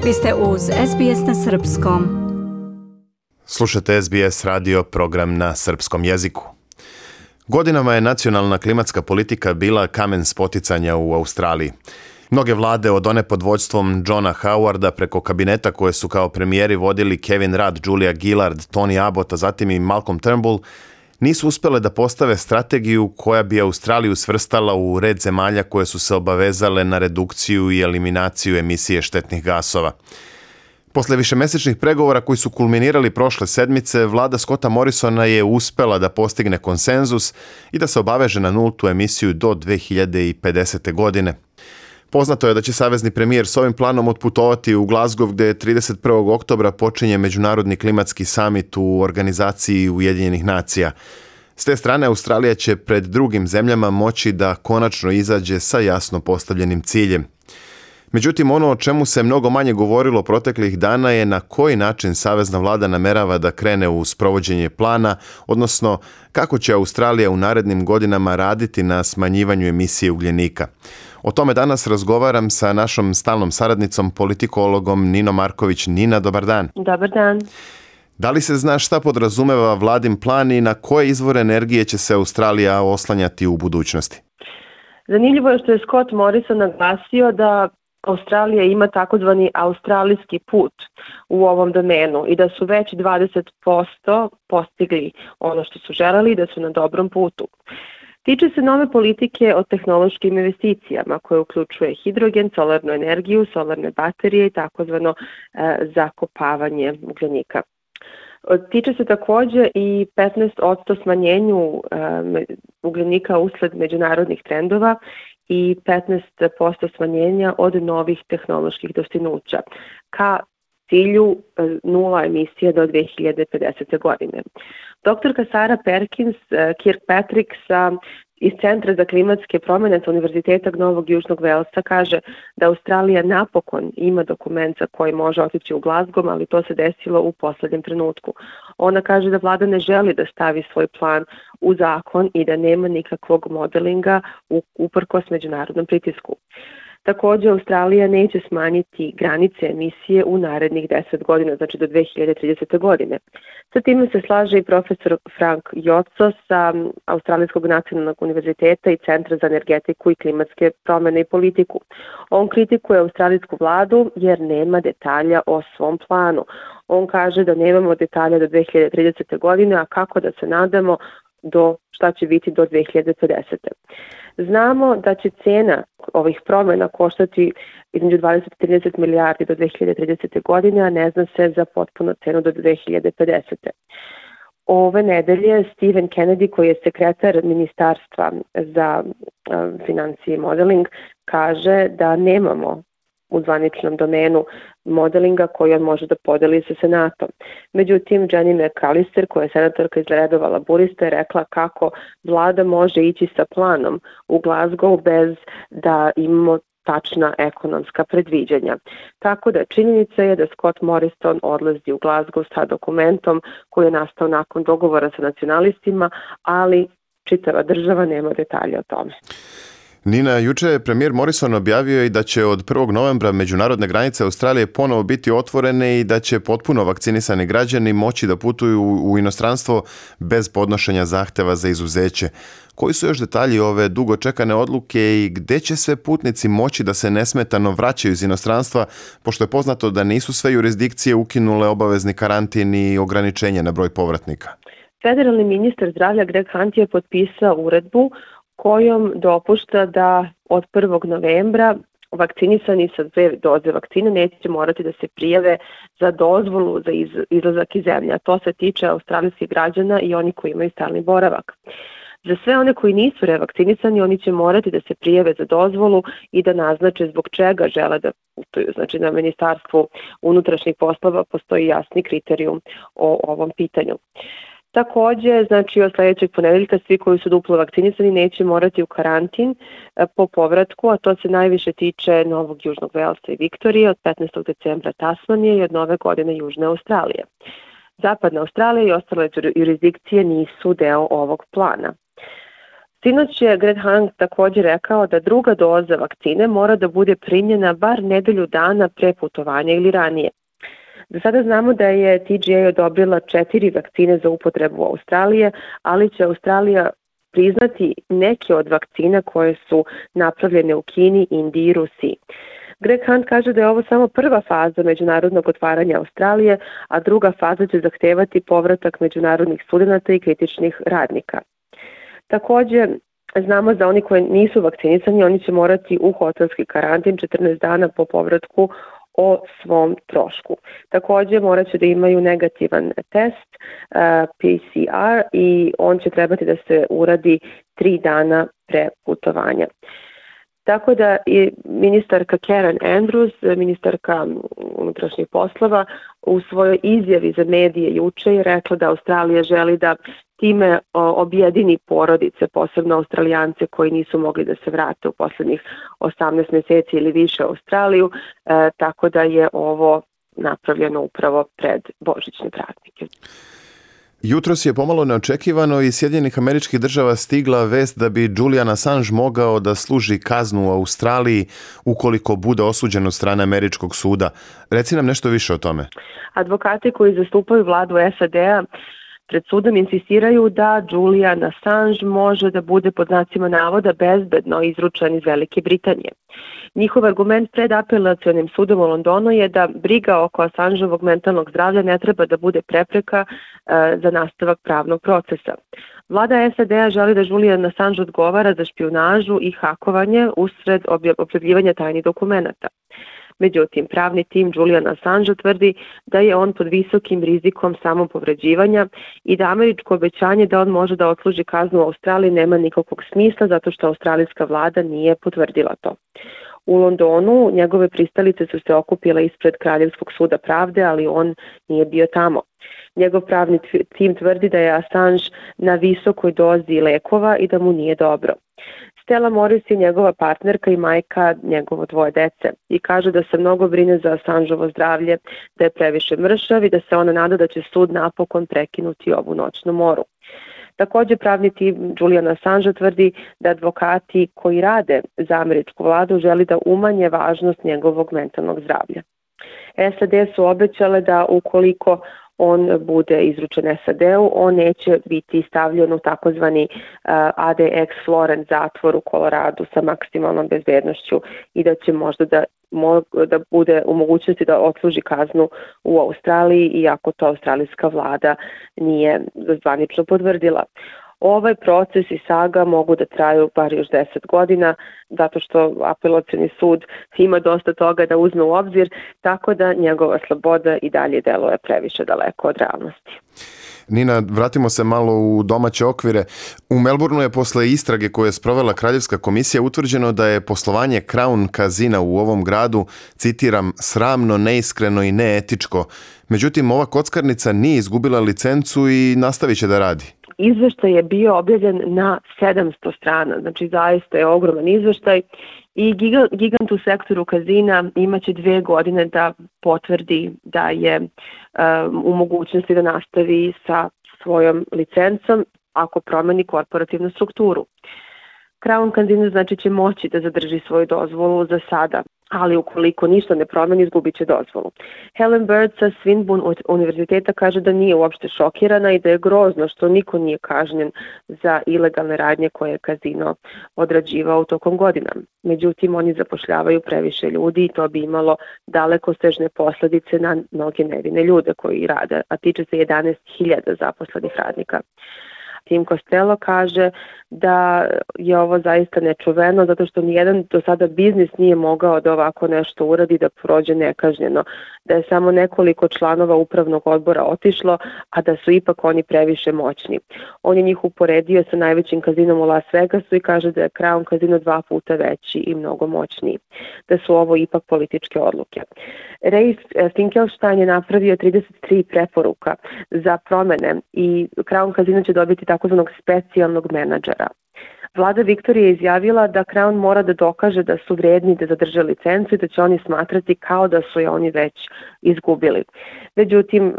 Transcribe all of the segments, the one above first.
Vi ste uz SBS na Srpskom. Slušate SBS radio program na srpskom jeziku. Godinama je nacionalna klimatska politika bila kamen spoticanja u Australiji. Mnoge vlade, od one pod vođstvom Johna Howarda preko kabineta koje su kao premijeri vodili Kevin Rudd, Julia Gillard, Tony Abbott, a zatim i Malcolm Turnbull, nisu uspjele da postave strategiju koja bi Australiju svrstala u red zemalja koje su se obavezale na redukciju i eliminaciju emisije štetnih gasova. Posle višemesečnih pregovora koji su kulminirali prošle sedmice, vlada Scotta Morrisona je uspela da postigne konsenzus i da se obaveže na nultu emisiju do 2050. godine. Poznato je da će savezni premijer s ovim planom otputovati u Glasgow, gde 31. oktobra počinje Međunarodni klimatski samit u organizaciji Ujedinjenih nacija. S te strane, Australija će pred drugim zemljama moći da konačno izađe sa jasno postavljenim ciljem. Međutim, ono o čemu se mnogo manje govorilo proteklih dana je na koji način savezna vlada namerava da krene u sprovođenje plana, odnosno kako će Australija u narednim godinama raditi na smanjivanju emisije ugljenika. O tome danas razgovaram sa našom stalnom saradnicom, politikologom Ninom Marković. Nina, dobar dan. Dobar dan. Da li se zna šta podrazumeva vladin plan i na koje izvore energije će se Australija oslanjati u budućnosti? Zanimljivo je što je Scott Morrison naglasio da Australija ima takozvani australijski put u ovom domenu i da su već 20% postigli ono što su želeli i da su na dobrom putu. Tiče se nove politike o tehnološkim investicijama koje uključuje hidrogen, solarnu energiju, solarne baterije i takozvano zakopavanje ugljenika. Tiče se također i 15% smanjenju ugljenika usled međunarodnih trendova i 15% smanjenja od novih tehnoloških dostignuća ka cilju nula emisije do 2050. godine. Doktorka Sarah Perkins Kirkpatrick iz Centra za klimatske promjene sa Univerziteta Novog Južnog Velsa kaže da Australija napokon ima dokument za koji može otići u Glasgow, ali to se desilo u posljednjem trenutku. Ona kaže da vlada ne želi da stavi svoj plan u zakon i da nema nikakvog modelinga uprkos međunarodnom pritisku. Također, Australija neće smanjiti granice emisije u narednih 10 godina, znači do 2030. godine. Sa time se slaže i profesor Frank Jotso sa Australijskog nacionalnog univerziteta i Centra za energetiku i klimatske promjene i politiku. On kritikuje australijsku vladu jer nema detalja o svom planu. On kaže da nemamo detalja do 2030. godine, a kako da se nadamo do šta će biti do 2050. Znamo da će cena ovih promjena koštati između 20 i 30 milijardi do 2030. godine, a ne zna se za potpuno cenu do 2050. Ove nedelje Stephen Kennedy, koji je sekretar Ministarstva za financije i modeling, kaže da nemamo u zvaničnom domenu modelinga koji on može da podeli sa Senatom. Međutim, Jenny McAllister, koja je senatorka iz redova laburista, je rekla kako vlada može ići sa planom u Glasgow bez da imamo tačna ekonomska predviđanja. Tako da činjenica je da Scott Morrison odlazi u Glasgow sa dokumentom koji je nastao nakon dogovora sa nacionalistima, ali čitava država nema detalja o tome. Nina, juče je premijer Morrison objavio i da će od 1. novembra međunarodne granice Australije ponovo biti otvorene i da će potpuno vakcinisani građani moći da putuju u inostranstvo bez podnošenja zahteva za izuzeće. Koji su još detalji ove dugo čekane odluke i gde će sve putnici moći da se nesmetano vraćaju iz inostranstva, pošto je poznato da nisu sve jurisdikcije ukinule obavezni karantin i ograničenje na broj povratnika? Federalni ministar zdravlja Greg Hunt je potpisao uredbu kojom dopušta da od 1. novembra vakcinisani sa 2 doze vakcine neće morati da se prijave za dozvolu za izlazak iz zemlje. A to se tiče australijskih građana i oni koji imaju stalni boravak. Za sve one koji nisu revakcinisani, oni će morati da se prijave za dozvolu i da naznače zbog čega žele da putuju. Znači, na Ministarstvu unutrašnjih poslova postoji jasni kriterijum o ovom pitanju. Također, znači od sljedećeg ponedeljka svi koji su duplo vakcinisani neće morati u karantin po povratku, a to se najviše tiče Novog Južnog Velsa i Viktorije, od 15. decembra Tasmanije i od nove godine Južne Australije. Zapadna Australija i ostale jurisdikcije nisu deo ovog plana. Sinoć je Greg Hunt također rekao da druga doza vakcine mora da bude primljena bar nedelju dana pre putovanja ili ranije. Do sada znamo da je TGA odobrila 4 vakcine za upotrebu u Australije, ali će Australija priznati neke od vakcina koje su napravljene u Kini, Indiji i Rusiji. Greg Hunt kaže da je ovo samo prva faza međunarodnog otvaranja Australije, a druga faza će zahtevati povratak međunarodnih studenata i kritičnih radnika. Također, znamo da oni koji nisu vakcinisani, oni će morati u hotelski karantin 14 dana po povratku o svom trošku. Također morat će da imaju negativan test, PCR, i on će trebati da se uradi 3 dana pre putovanja. Tako da je ministarka Karen Andrews, ministarka unutrašnjih poslova, u svojoj izjavi za medije juče je rekla da Australija želi da time objedini porodice, posebno Australijance koji nisu mogli da se vrate u poslednjih 18 meseci ili više u Australiju, tako da je ovo napravljeno upravo pred božićne praznike. Jutros je pomalo neočekivano iz Sjedinjenih Američkih Država stigla vest da bi Julian Assange mogao da služi kaznu u Australiji ukoliko bude osuđen od strane američkog suda. Reci nam nešto više o tome. Advokati koji zastupaju vladu SAD-a pred sudom insistiraju da Julian Assange može da bude pod znacima navoda bezbedno izručen iz Velike Britanije. Njihov argument pred apelacionim sudom u Londonu je da briga oko Assangeovog mentalnog zdravlja ne treba da bude prepreka za nastavak pravnog procesa. Vlada SAD-a želi da Julian Assange odgovara za špijunažu i hakovanje usred objavljivanja tajnih dokumenata. Međutim, pravni tim Julian Assange tvrdi da je on pod visokim rizikom samopovređivanja i da američko obećanje da on može da odsluži kaznu u Australiji nema nikakvog smisla zato što australijska vlada nije potvrdila to. U Londonu njegove pristalice su se okupile ispred Kraljevskog suda pravde, ali on nije bio tamo. Njegov pravni tim tvrdi da je Assange na visokoj dozi lekova i da mu nije dobro. Stella Morris je njegova partnerka i majka njegovo 2 dece i kaže da se mnogo brine za Assangeovo zdravlje, da je previše mršav i da se ona nada da će sud napokon prekinuti ovu noćnu moru. Također pravni tim Julian Assange tvrdi da advokati koji rade za američku vladu želi da umanje važnost njegovog mentalnog zdravlja. SAD su obećale da ukoliko on bude izručen SAD-u, on neće biti stavljen u takozvani ADX Florence zatvor u Koloradu sa maksimalnom bezbednošću i da će možda da bude u mogućnosti da odsluži kaznu u Australiji, iako to australijska vlada nije zvanično potvrdila. Ovaj proces i saga mogu da traju bar još 10 godina, zato što apelacioni sud ima dosta toga da uzme u obzir, tako da njegova sloboda i dalje deluje previše daleko od realnosti. Nina, vratimo se malo u domaće okvire. U Melbourneu je posle istrage koje je sprovela Kraljevska komisija utvrđeno da je poslovanje Crown Casina u ovom gradu, citiram, sramno, neiskreno i neetičko. Međutim, ova kockarnica nije izgubila licencu i nastavit će da radi. Izveštaj je bio objavljen na 700 strana, znači zaista je ogroman izveštaj i gigant u sektoru kazina imaće 2 godine da potvrdi da je u mogućnosti da nastavi sa svojom licencom ako promeni korporativnu strukturu. Crown Casino znači će moći da zadrži svoju dozvolu za sada, ali ukoliko ništa ne promeni, izgubit će dozvolu. Helen Bird sa Swinburne univerziteta kaže da nije uopšte šokirana i da je grozno što niko nije kažnjen za ilegalne radnje koje je kazino odrađivao tokom godina. Međutim, oni zapošljavaju previše ljudi i to bi imalo dalekosežne posledice na mnoge nevine ljude koji rade, a tiče se 11.000 zaposlenih radnika. Tim Costello kaže da je ovo zaista nečuveno zato što nijedan do sada biznis nije mogao da ovako nešto uradi da prođe nekažnjeno, da je samo nekoliko članova upravnog odbora otišlo, a da su ipak oni previše moćni. On je njih uporedio sa najvećim kazinom u Las Vegasu i kaže da je Crown Casino 2 puta veći i mnogo moćniji, da su ovo ipak političke odluke. Ray Finkelstein je napravio 33 preporuka za promene i Crown Casino će dobiti takozvanog specijalnog menadžera. Vlada Viktorije je izjavila da Crown mora da dokaže da su vredni da zadrže licencu i da će oni smatrati kao da su je oni već izgubili. Međutim,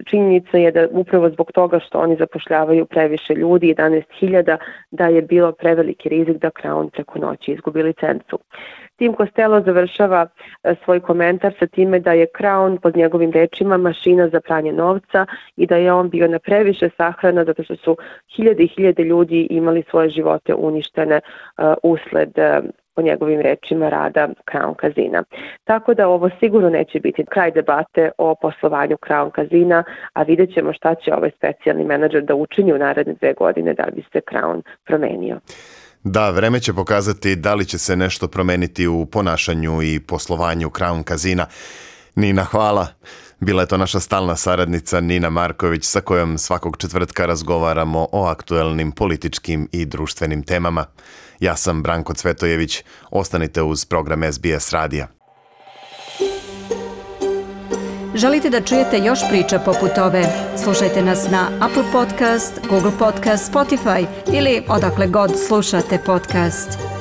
činjenica je da upravo zbog toga što oni zapošljavaju previše ljudi, 11.000, da je bilo preveliki rizik da Crown preko noći izgubi licencu. Tim Costello završava svoj komentar sa time da je Crown, pod njegovim rečima, mašina za pranje novca i da je on bio na previše sahrana zato što su hiljade i hiljade ljudi imali svoje živote uništene usled, po njegovim rečima, rada Crown Casina. Tako da ovo sigurno neće biti kraj debate o poslovanju Crown Casina, a vidjet ćemo šta će ovaj specijalni menadžer da učini u naredne 2 godine da bi se Crown promenio. Da, vreme će pokazati da li će se nešto promeniti u ponašanju i poslovanju Crown Casina. Nina, hvala. Bila je to naša stalna saradnica Nina Marković sa kojom svakog četvrtka razgovaramo o aktuelnim političkim i društvenim temama. Ja sam Branko Cvetojević. Ostanite uz program SBS radija. Želite da čujete još priča poput ove? Slušajte nas na Apple Podcast, Google Podcast, Spotify ili odakle god slušate podcast.